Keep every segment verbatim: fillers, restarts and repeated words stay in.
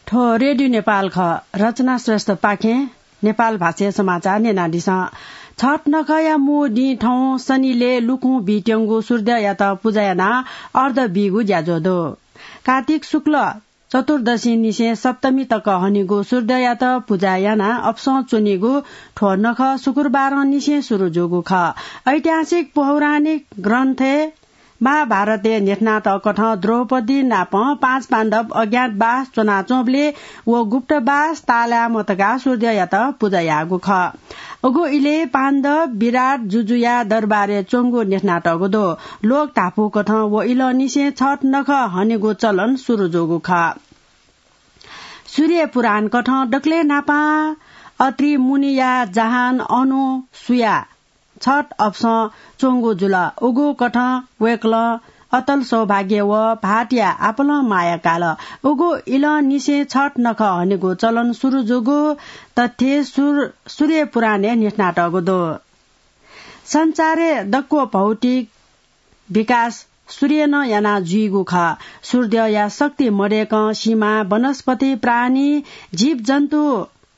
थ्व रेडियो नेपाल खः। रचना श्रेष्ठपाखें नेपाल भाषाया समाचार न्यनादिसँ। छठ नखःया मू दिं थौं शनिले लुकुं बीत्यंगु सूर्ययात पुजा यानाः अर्ध बीगु ज्याझ्वः दु। कार्तिक शुक्ल चतुर्दशी निसें सप्तमी तक हनेगु सूर्ययात पुजा यानाः अपसं च्वनीगु थ्व नखः शुक्रबारं निसें सुरु जूगु खः। ऐतिहासिक पौराणिक ग्रन्थय् महाभारतय् न्ह्यथनातःकथं द्रौपदी नाप पाँच पाण्डव अज्ञातवास च्वनाच्वंबलय् व गुप्तवास तालाय् मतकाः सूर्ययात पुजा याःगु खः। उगु इलय् पाण्डव विराट जुजुया दरबारय् च्वंगु न्ह्यथनातःगु दु। लोक धापूकथं व इलंनिसें छठ नखः हनेगु चलन सुरु जूगु खः। सूर्य पुराणकथं दकलय् न्हापां अत्रि मुनिया जहान अनुसुया छठ अपसं च्वंगु जुल। उगु कथं वय्कलं अतल सौभाग्य व भाःतया आपालं माया काल। उगु इलंनिसें छठ नखः हनेगु चलन सुरु जूगु तथ्य सुर-, सूर्य पुराणय् न्ह्यथनातःगु दु। संसारय् दक्व भौतिक विकास सूर्यनं याना जुइगु खः। सूर्यया शक्ति मदय्कं सिमा, वनस्पति, प्राणी, जीवजन्तु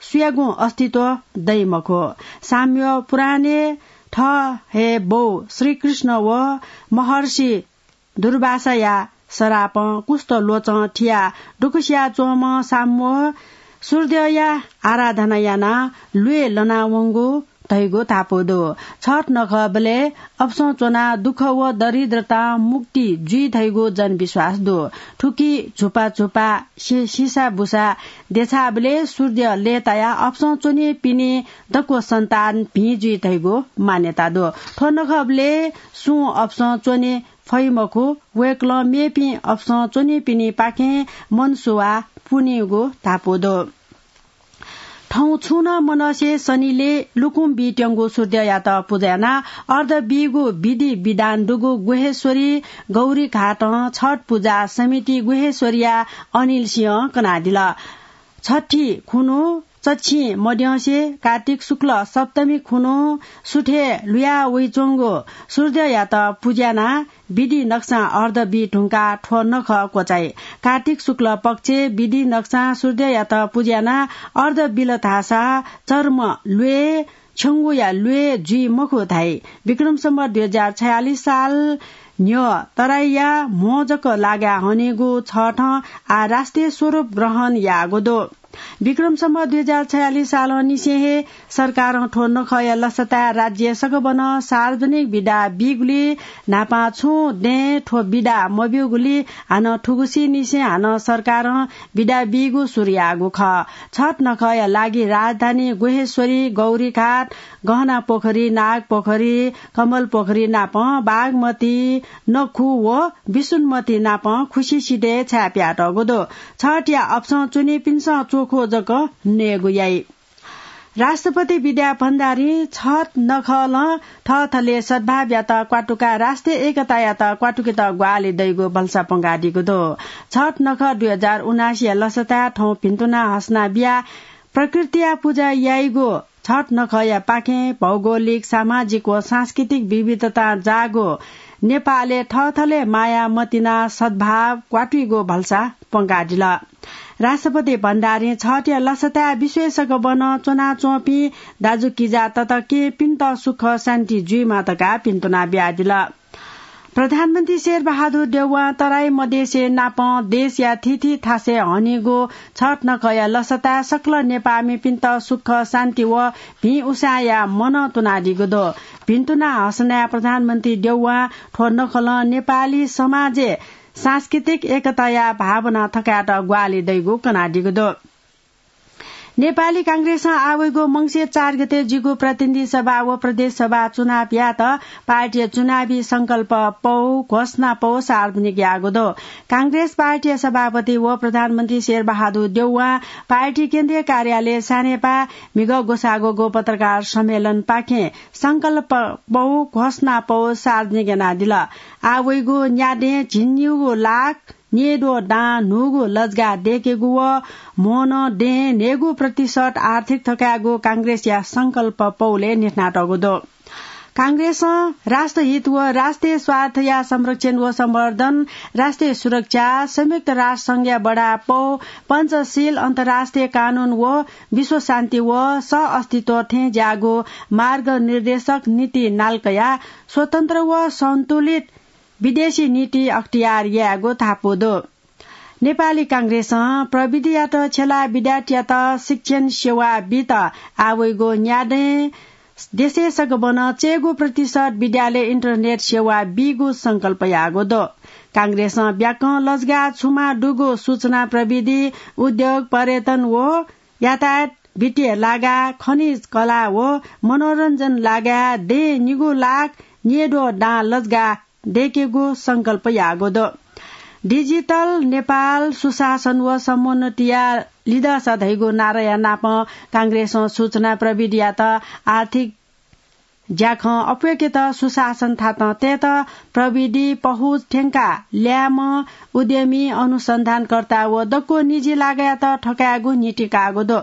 सुयागुं अस्तित्व दइ मखु। साम्य पुराणय् थः हे बौ श्रीकृष्ण व महर्षि दुर्वासाया सरापं कुष्ठ लोचं थियाः दुःख सिया च्वंम्ह साम्य सूर्यया आराधना यानाः ल्वय् लनावंगु धइगु धापू दु। छठ नखःबलय् अपसं च्वनाः दुःख व दरिद्रतां मुक्ति जुइ धइगु जनविश्वास दु। थुकी झुपा झुपा सि-, सिसा बुसा देछाःबलय् सूर्य लय्तायाः अपसं च्वनीपिनि दक्व सन्तान भिं जुइ धइगु मान्यता दु। थ्व नखःबलय् सुं अपसं च्वने फइ मखु। वय्कलं मेपिं अपसं च्वनीपिनिपाखें मनसुवा पुनीगु धापू दु। थौं छुं नं मनसे शनिले लुकुं बीत्यंगु सूर्ययात पुजा यानाः अर्ध बीगु विधि विधान दुगु गुह्येश्वरी गौरीघाटं छठ पुजा समिति गुह्येश्वरीया अनिल सिंहं कनादिल। छठी खुन्हु चच्छिं मद्यंसे कार्तिक शुक्ल सप्तमी खुन्हु सुथय् लुया वइच्वंगु सूर्ययात पुज्यानाः विधि नक्सां अर्ध बी धुंकाः थ्व नखः क्वचाइ। कार्तिक शुक्ल पक्षय् विधि नक्सां सूर्ययात पुज्यानाः अर्ध बिल धाःसा चर्म ल्वय् छ्यंगुया ल्वय् जुइ मखु धाइ। विक्रम सम्वत दुई हजार छयालिस साल न्ह्यः तराईया म्हो जक लागाय् हनेगु छठं आः राष्ट्रिय स्वरूप ग्रहण याःगु दु। विक्रम सम्वत दुई हजार छयालिस सालंनिसें हे सरकारं थ्व नखःया लसताय् राज्य सकभनं सार्वजनिक बिदा बीगुलिं न्हापां छुं दँय् थ्व बिदा मब्यूगुलिं हानं थुगुसिंनिसें हानं सरकारं बिदा बीगु सुरु याःगु खः। छठ नखःया लागि राजधानी गुह्येश्वरी, गौरीघाट, गहना पोखरी, नाग पोखरी, कमल पोखरी नापं बागमती, नखु व विष्णुमती नापं खुसिसितय् छाय् पियातःगु दु। छठया अपसं च्वनीपिन्सं च्वखु जक नयेगु याइ। राष्ट्रपति विद्या भण्डारीं छठ नखलं थःथलय् सद्भावयात क्वातुकाः राष्ट्रिय एकतायात क्वातुकेत ग्वाहालि दइगु भलसा पंकादीगु दु। छठ नखः दुई हजार उनासीया लसताय् थौं भिन्तुना हसना बियाः प्रकृतिया पुजा याइगु छठ नखःया पाखें भौगोलिक, सामाजिक व सांस्कृतिक विविधतां जाःगु नेपालय् थःथलय् माया मतिना सद्भाव क्वातुइगु भलसा पंकादिल। राष्ट्रपति भण्डारीं छठया लसताय् विश्वय् सकभनं च्वनाच्वंपिं दाजुकिजा तताकेहेँपिन्त सुख शान्ति जुइमा धकाः भिन्तुना बियादिल। प्रधानमन्त्री शेरबहादुर देउवां तराई मधेसय् नापं देशया थीथी थासय् हनीगु छठ नखःया लसताय् सकल नेपाःमिपिन्त सुख शान्ति व भिं उसाँय्‌या मनं तुनादीगु दु। भिन्तुना हसनाय् प्रधानमन्त्री देउवां थ्व नखलं नेपाली समाजय् सांस्कृतिक एकताया भावना थकायेत ग्वाहालि दइगु कनादीगु दु। नेपाली कांग्रेसं आः वइगु मंसिर चार गते जुइगु प्रतिनिधि सभा व प्रदेश सभा चुनाव यायेत पार्टीया चुनावी संकल्प पौ, घोषणा पौ सार्वजनिक याःगु दु। कांग्रेस पार्टीया सभापति व प्रधानमन्त्री शेरबहादुर देउवां पार्टी केन्द्रीय कार्यालय सानेपाः म्हिगः ग्वसाः ग्वःगु पत्रकार सम्मेलनपाखें संकल्प पौ, घोषणा पौ सार्वजनिक यानादिल। आः वइगु न्यादँय् झिंनिगू लाख न्येद्वः दां न्हूगु लजगाः दय्‌केगु व म्होनं दँय् न्हय्‌गू प्रतिशत आर्थिक थकायेगु कांग्रेसया संकल्प पौलय् न्ह्यथनातःगु दु। कांग्रेसं राष्ट्रहित व राष्ट्रिय स्वार्थया संरक्षण व सम्वर्धन, राष्ट्रिय सुरक्षा, संयुक्त राष्ट्र संघया बढापौ, पञ्चशील, अन्तर्राष्ट्रिय कानून व विश्व शान्ति व सह अस्तित्व थें ज्याःगु मार्गनिर्देशक नीति नालकया स्वतन्त्र व सन्तुलित विदेशी नीति अख्तियार यायेगु धापू दु। नेपाली कांग्रेसं प्रविधियात छ्यलाः विद्यार्थीयात शिक्षण सेवा बीत आवइगु न्यादँय् देशय् सकभनं चय्गू प्रतिशत विद्यालय इन्टरनेट सेवा बीगु संकल्प याःगु दु। कांग्रेसं ब्याकं लजगाः छुमा दुगु सूचना प्रविधि, उद्योग, पर्यटन व यातायात, वित्तीय लागा, खनिज, कला व मनोरञ्जन लागा दँय् निगू लाख न्येद्वः दां लजगाः दय्केगु संकल्प याःगु दु। डिजिटल नेपाल सुशासन व समुन्नतिया लिधंसा धइगु नाराया नापं कांग्रेसं सूचना प्रविधियात आर्थिक ज्याखँ अप्वय्केत सुशासन थातं तयेत प्रविधि पहुँच थ्यंकाः ल्याय्म्ह उद्यमी, अनुसन्धानकर्ता व दक्व निजी लागायात थकायेगु नीति काःगु दु।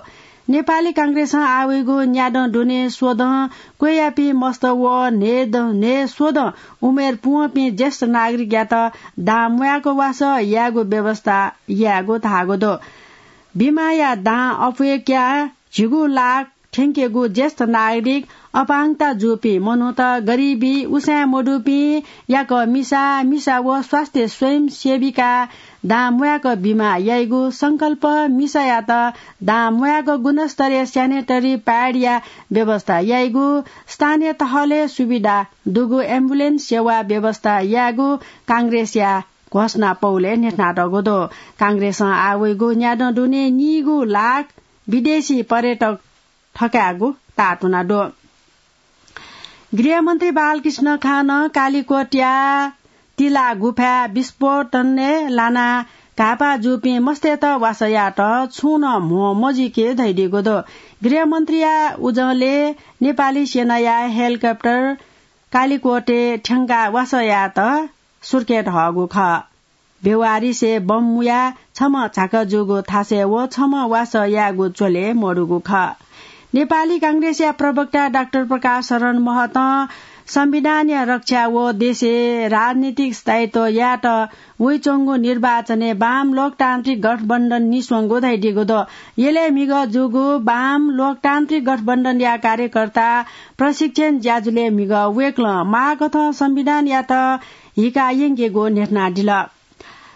नेपाली कांग्रेसं आवइगु न्यादँ दुने स्वदँ क्वय्यापिं मस्त व न्हय् द-, न्हय् स्वदँ उमेर पूवंपिं ज्येष्ठ नागरिकयात दां म्वाय्क वासः यायेगु व्यवस्था यायेगु धाःगु दु। बिमाया दां अप्वय्क्याः झिगू लाख थ्यंकेगु ज्येष्ठ नागरिक, अपाङ्गता जूपिं मनूत, गरिबी, उसाँय् मदुपिं, याकः मिसा, मिसा व स्वास्थ्य स्वयंसेविका दां म्वाय्क बिमा याइगु संकल्प, मिसायात दां म्वाय्क गुणस्तरीय sanitary pad या व्यवस्था याइगु, स्थानीय तहलय् सुविधा दुगु एम्बुलेन्स सेवा व्यवस्था यायेगु कांग्रेसया घोषणा पौलय् न्ह्यथनातःगु दु। कांग्रेसं आवइगु न्यादँ दुने निगू लाख विदेशी पर्यटक थकायेगु ताःतुना दु। गृहमन्त्री बालकृष्ण खानं कालिकोटया तिला गुफाय् विस्फोटनय् लानाः घाःपाः जूपिं मस्तय्त वासः यायेत छुं नं म्हो मजुइके धयादीगु दु। गृहमन्त्रीया उजंलय् नेपाली सेनाया हेलिकप्टर कालिकोटय् थ्यंकाः वासः यायेत सुर्खेत हःगु खः। बेवारिसे बम मुयाः छम्ह झाका जूगु थासय् व छम्ह वासः यायेगु च्वले मदुगु खः। नेपाली कांग्रेसया प्रवक्ता डाक्टर प्रकाश शरण महतं संविधानया रक्षा व देशय् राजनीतिक स्थायित्व यायेत वइच्वंगु निर्वाचनय् वाम लोकतान्त्रिक गठबन्धन निस्वंगु धयादीगु दु। यलय् म्हिगः जूगु वाम लोकतान्त्रिक गठबन्धनया कार्यकर्ता प्रशिक्षण ज्याझ्वलय् म्हिगः वय्कलं माःकथं संविधानयात हिका यंकेगु न्ह्यथनादिल।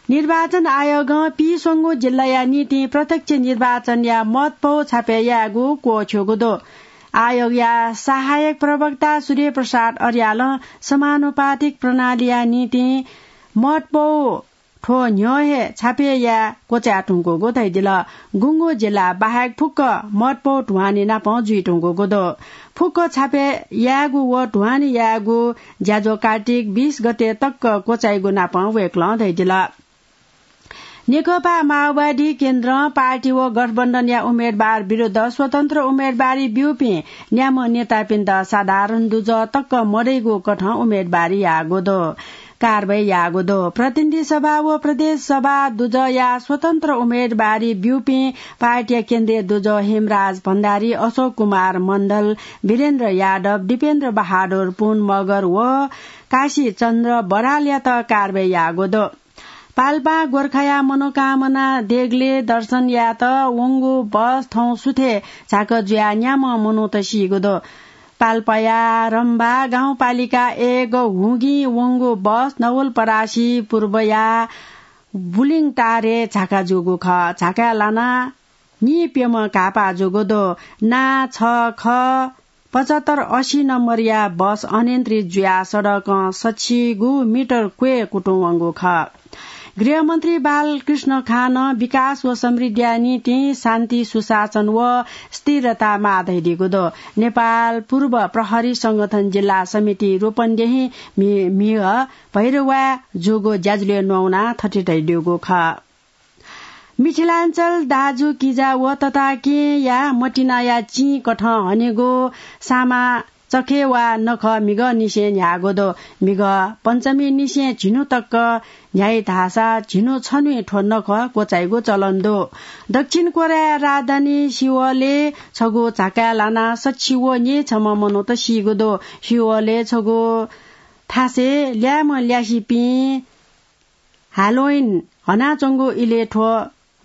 निर्वाचन आयोगं पीस्वंगू जिल्लाया निंतिं प्रत्यक्ष निर्वाचनया मतपौ छापय् यायेगु क्वःछ्यूगु दु। आयोगया सहायक प्रवक्ता सूर्य प्रसाद अर्यालं समानुपातिक प्रणालीया निंतिं मतपौ थ्व न्ह्यः हे छापय् याये क्वचाय् धुंकूगु धयादिल। गुंगू जिल्ला बाहेक फुक्क मतपौ ध्वानि नापं जुइ धुंकूगु दु। फुक्क छापय् यायेगु व ध्वानि यायेगु ज्याझ्वः कार्तिक बीस गते तक क्वचाइगु नापं वय्कलं धयादिल। नेकपा माओवादी केन्द्रं पार्टी व गठबन्धनया उम्मेदवार विरुद्ध स्वतन्त्र उम्मेदवारी ब्यूपिं न्याम्ह नेतापिन्त साधारण दुजः तक मदइगु कथं उम्मेदवारी याःगु दु। कारवाही याःगु दु। प्रतिनिधि सभा व प्रदेश सभा दुजःया स्वतन्त्र उम्मेदवारी ब्यूपिं पार्टीया केन्द्रीय दुजः हेमराज भण्डारी, अशोक कुमार मण्डल, वीरेन्द्र यादव, दिपेन्द्र बहादुर पुन मगर व काशी चन्द्र बरालयात कारवाही याःगु दु। पाल्पां गोर्खाया मनोकामना देगलय् दर्शन यायेत वंगु बस थौं सुथय् झाका जुयाः न्याम्ह मनूत सीगु दु। पाल्पाया रम्भा गाउँपालिका एक हुगिं वंगु बस नवलपरासी पूर्वया बुलिङटारय् झाका जूगु खः। झाकाय् लानाः नीप्यम्ह घाःपाः जूगु दु। ना छ ख पचहत्तर असी नम्बरया बस अनियन्त्रित जुयाः सडकं सछिगू मिटर क्वय् कुतुं वंगु खः। गृहमन्त्री बालकृष्ण खानं विकास व समृद्धिया निंतिं शान्ति, सुशासन व स्थिरता माः धयादीगु दु। नेपाल पूर्व प्रहरी संगठन जिल्ला समिति रूपन्देही म्हि-, म्हिगः भैरवाय् जूगु ज्याझ्वलय् न्ववानाः थथे धयादीगु खः। मिथिलाञ्चल दाजुकिजा व तताकेँया मतिनाया चिं कथं हनेगु सामा चखे वा नखः म्हिगःनिसें न्ह्याःगु दु। म्हिगः पञ्चमीनिसें झिन्हु तक न्ह्याइ धाःसा झिन्हु छन्हुइ थ्व नखः क्वचाइगु चलन दु। दक्षिण कोरियाया राजधानी सिओलय् छगू झाकाय् लानाः सछि व न्यय् छम्ह मनूत सीगु दु। सिओलय् छगू थासय् ल्याय्म्ह ल्यासेपिं Halloween हनाच्वंगु इलय् थ्व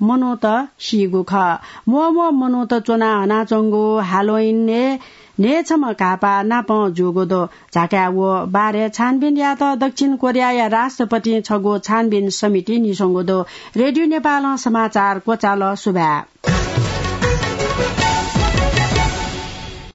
मनूत सीगु खः। म्वःम्वः मनूत च्वनाः हनाच्वंगु Halloween-य् न्हय् छम्ह घाःपाः नापं जूगु दु। झाकाय् व बारे छानबिन यायेत दक्षिण कोरियाया राष्ट्रपतिं छगू छानबिन समिति नीस्वंगु दु। रेडियो नेपालं समाचार क्वचाल। सुभाय्।